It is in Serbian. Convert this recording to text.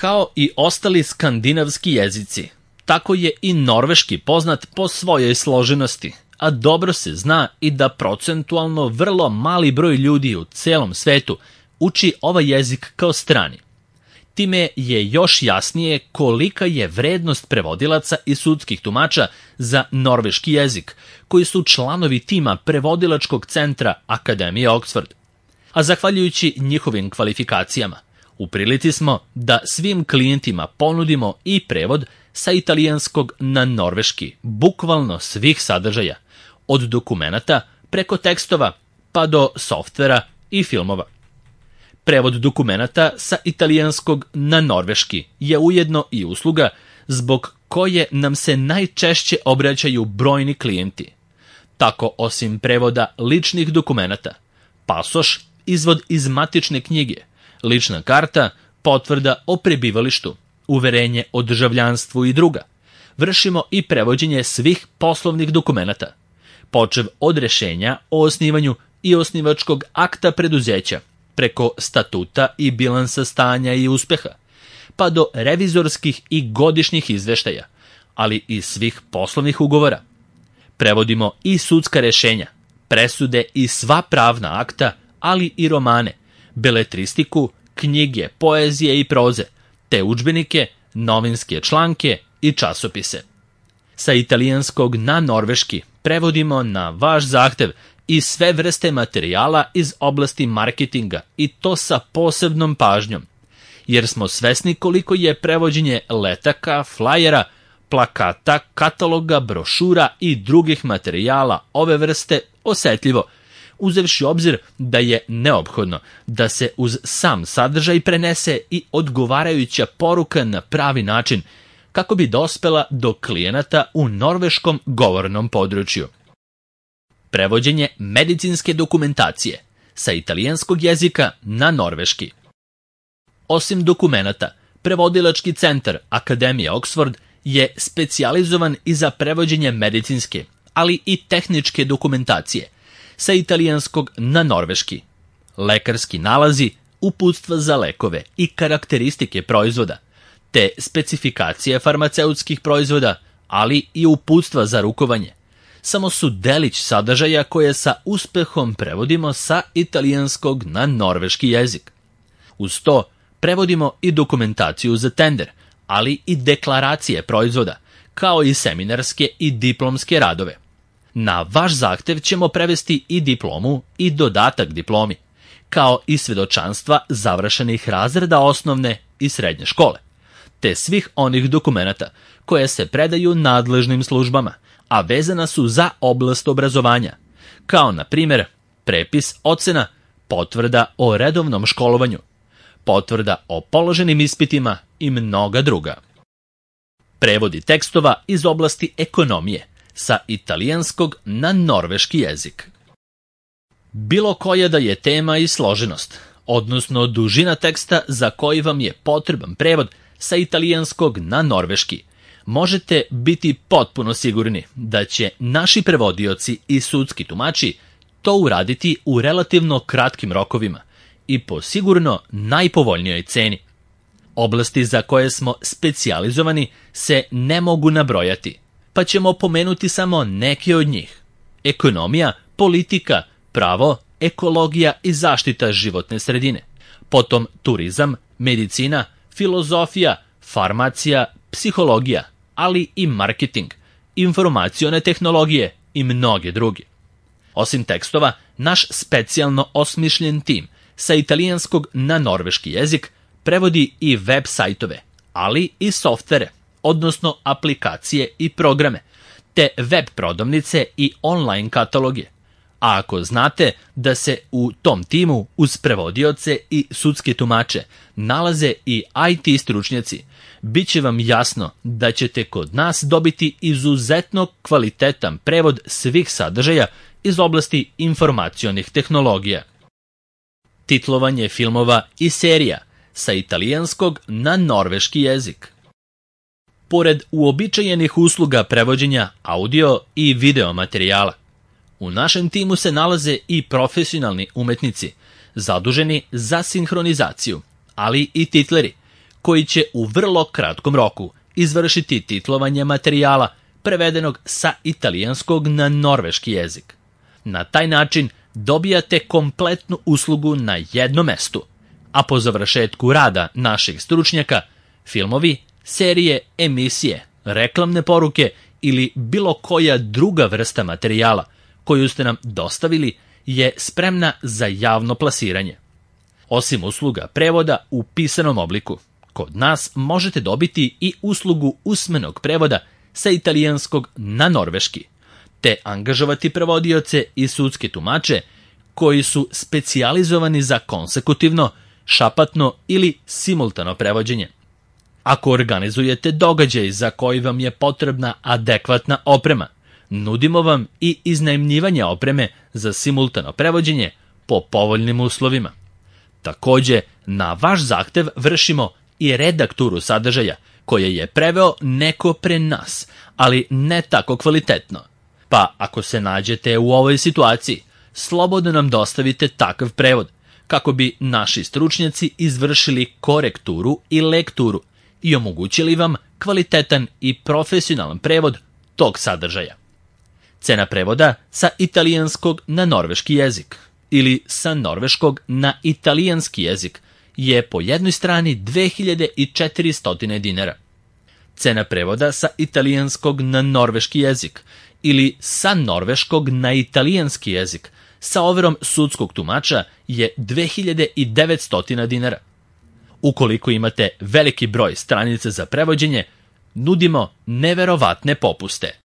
Kao i ostali skandinavski jezici, tako je i norveški poznat po svojoj složenosti, a dobro se zna i da procentualno vrlo mali broj ljudi u celom svetu uči ovaj jezik kao strani. Time je još jasnije kolika je vrednost prevodilaca i sudskih tumača za norveški jezik, koji su članovi tima prevodilačkog centra Akademije Oxford. A zahvaljujući njihovim kvalifikacijama, u prilici smo da svim klijentima ponudimo i prevod sa italijanskog na norveški, bukvalno svih sadržaja, od dokumenata preko tekstova pa do softvera i filmova. Prevod dokumenata sa italijanskog na norveški je ujedno i usluga zbog koje nam se najčešće obraćaju brojni klijenti. Tako, osim prevoda ličnih dokumenata, pasoš, izvod iz matične knjige, lična karta, potvrda o prebivalištu, uverenje o državljanstvu i druga, vršimo i prevođenje svih poslovnih dokumenata, počev od rešenja o osnivanju i osnivačkog akta preduzeća, preko statuta i bilansa stanja i uspeha, pa do revizorskih i godišnjih izveštaja, ali i svih poslovnih ugovora. Prevodimo i sudska rešenja, presude i sva pravna akta, ali i romane, beletristiku, knjige, poezije i proze, te udžbenike, novinske članke i časopise. Sa italijanskog na norveški prevodimo na vaš zahtev i sve vrste materijala iz oblasti marketinga, i to sa posebnom pažnjom, jer smo svesni koliko je prevođenje letaka, flajera, plakata, kataloga, brošura i drugih materijala ove vrste osetljivo, uzevši obzir da je neophodno da se uz sam sadržaj prenese i odgovarajuća poruka na pravi način, kako bi dospela do klijenata u norveškom govornom području. Prevođenje medicinske dokumentacije sa italijanskog jezika na norveški. Osim dokumenata, prevodilački centar Akademije Oxford je specijalizovan i za prevođenje medicinske, ali i tehničke dokumentacije sa italijanskog na norveški, lekarski nalazi, uputstva za lekove i karakteristike proizvoda, te specifikacije farmaceutskih proizvoda, ali i uputstva za rukovanje, samo su delić sadržaja koje sa uspehom prevodimo sa italijanskog na norveški jezik. Uz to prevodimo i dokumentaciju za tender, ali i deklaracije proizvoda, kao i seminarske i diplomske radove. Na vaš zahtev ćemo prevesti i diplomu i dodatak diplomi, kao i svedočanstva završenih razreda osnovne i srednje škole, te svih onih dokumenata koje se predaju nadležnim službama, a vezana su za oblast obrazovanja, kao na primjer prepis ocena, potvrda o redovnom školovanju, potvrda o položenim ispitima i mnoga druga. Prevodi tekstova iz oblasti ekonomije sa italijanskog na norveški jezik. Bilo koja da je tema i složenost, odnosno dužina teksta za koji vam je potreban prevod sa italijanskog na norveški, možete biti potpuno sigurni da će naši prevodioci i sudski tumači to uraditi u relativno kratkim rokovima i po sigurno najpovoljnijoj ceni. Oblasti za koje smo specijalizovani se ne mogu nabrojati, pa ćemo pomenuti samo neke od njih. Ekonomija, politika, pravo, ekologija i zaštita životne sredine. Potom turizam, medicina, filozofija, farmacija, psihologija, ali i marketing, informacione tehnologije i mnoge druge. Osim tekstova, naš specijalno osmišljen tim sa italijanskog na norveški jezik prevodi i web sajtove, ali i softvere, odnosno aplikacije i programe, te web prodavnice i online kataloge. A ako znate da se u tom timu uz prevodioce i sudske tumače nalaze i IT stručnjaci, bit će vam jasno da ćete kod nas dobiti izuzetno kvalitetan prevod svih sadržaja iz oblasti informacionih tehnologija. Titlovanje filmova i serija sa italijanskog na norveški jezik. Pored uobičajenih usluga prevođenja audio i video materijala, u našem timu se nalaze i profesionalni umetnici, zaduženi za sinhronizaciju, ali i titleri, koji će u vrlo kratkom roku izvršiti titlovanje materijala prevedenog sa italijanskog na norveški jezik. Na taj način dobijate kompletnu uslugu na jednom mestu, a po završetku rada naših stručnjaka, filmovi, serije, emisije, reklamne poruke ili bilo koja druga vrsta materijala koju ste nam dostavili je spremna za javno plasiranje. Osim usluga prevoda u pisanom obliku, kod nas možete dobiti i uslugu usmenog prevoda sa italijanskog na norveški, te angažovati prevodioce i sudske tumače koji su specijalizovani za konsekutivno, šapatno ili simultano prevođenje. Ako organizujete događaj za koji vam je potrebna adekvatna oprema, nudimo vam i iznajmljivanje opreme za simultano prevođenje po povoljnim uslovima. Takođe, na vaš zahtev vršimo i redakturu sadržaja koje je preveo neko pre nas, ali ne tako kvalitetno. Pa ako se nađete u ovoj situaciji, slobodno nam dostavite takav prevod, kako bi naši stručnjaci izvršili korekturu i lekturu i omogućili vam kvalitetan i profesionalan prevod tog sadržaja. Cena prevoda sa italijanskog na norveški jezik ili sa norveškog na italijanski jezik je po jednoj strani 2400 dinara. Cena prevoda sa italijanskog na norveški jezik ili sa norveškog na italijanski jezik sa overom sudskog tumača je 2900 dinara. Ukoliko imate veliki broj stranica za prevođenje, nudimo neverovatne popuste.